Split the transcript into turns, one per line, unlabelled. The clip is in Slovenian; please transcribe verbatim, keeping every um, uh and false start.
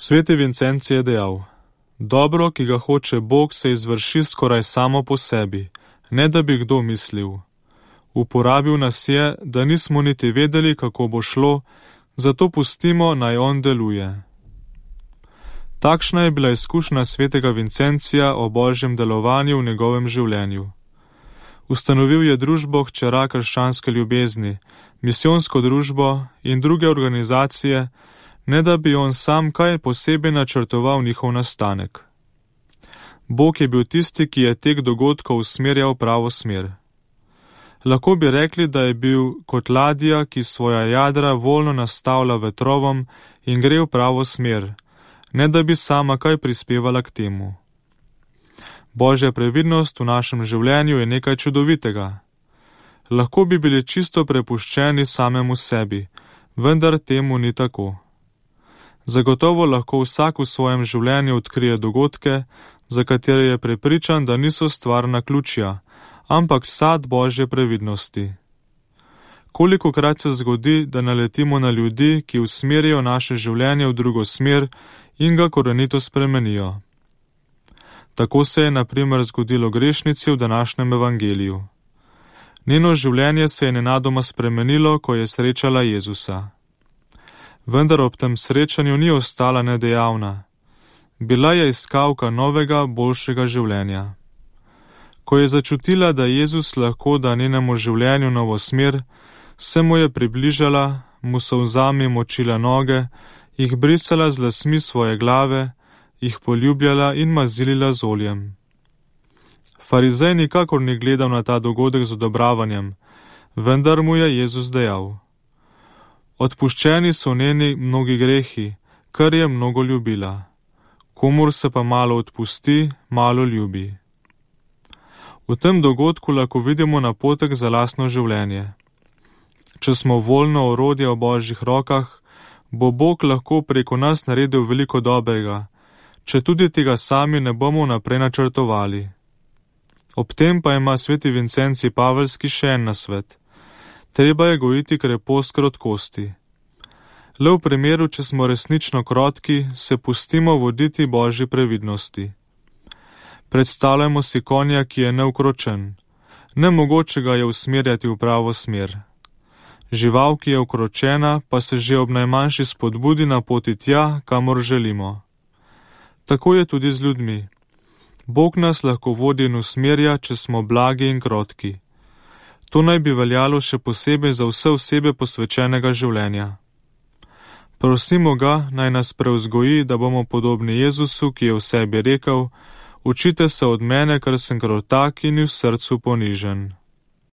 Sveti Vincenci je dejal: dobro, ki ga hoče Bog, se izvrši skoraj samo po sebi, ne da bi kdo mislil. Uporabil nas je, da nismo niti vedeli, kako bo šlo, zato pustimo, naj on deluje. Takšna je bila izkušnja svetega Vincencija o božjem delovanju v njegovem življenju. Ustanovil je družbo Hčera krščanske ljubezni, misijonsko družbo in druge organizacije, ne da bi on sam kaj posebej načrtoval njihov nastanek. Bog je bil tisti, ki je tek dogodkov usmerjal v pravo smer. Lahko bi rekli, da je bil kot ladja, ki svoja jadra voljno nastavlja vetrovom in gre v pravo smer, ne da bi sama kaj prispevala k temu. Božja previdnost v našem življenju je nekaj čudovitega. Lahko bi bili čisto prepuščeni samemu sebi, vendar temu ni tako. Zagotovo lahko vsak v svojem življenju odkrije dogodke, za katere je prepričan, da niso stvar naključja, ampak sad Božje previdnosti. Kolikokrat se zgodi, da naletimo na ljudi, ki usmerijo naše življenje v drugo smer in ga korenito spremenijo. Tako se je na primer zgodilo grešnici v današnjem evangeliju. Njeno življenje se je nenadoma spremenilo, ko je srečala Jezusa. Vendar ob tem srečanju ni ostala nedejavna. Bila je iskalka novega, boljšega življenja. Ko je začutila, da Jezus lahko da njenemu življenju novo smer, se mu je približala, mu solzami močila noge, jih brisala z lasmi svoje glave, jih poljubljala in mazilila z oljem. Farizej nikakor ni gledal na ta dogodek z odobravanjem, vendar mu je Jezus dejal: odpuščeni so njeni mnogi grehi, kar je mnogo ljubila. Komur se pa malo odpusti, malo ljubi. V tem dogodku lahko vidimo napotek za lastno življenje. Če smo voljno orodje v Božjih rokah, bo Bog lahko preko nas naredil veliko dobrega, če tudi tega sami ne bomo naprej načrtovali. Ob tem pa ima sveti Vincenci Pavelski še en nasvet. Treba je gojiti krepost krotkosti. Le v primeru, če smo resnično krotki, se pustimo voditi Božji previdnosti. Predstavljamo si konja, ki je neukročen. Nemogoče ga je usmerjati v pravo smer. Žival, ki je ukročena, pa se že ob najmanjši spodbudi na poti tja, kamor želimo. Tako je tudi z ljudmi. Bog nas lahko vodi in usmerja, če smo blagi in krotki. To naj bi veljalo še posebej za vse osebe posvečenega življenja. Prosimo ga, naj nas prevzgoji, da bomo podobni Jezusu, ki je v sebi rekel: učite se od mene, ker sem krotak in v srcu ponižen.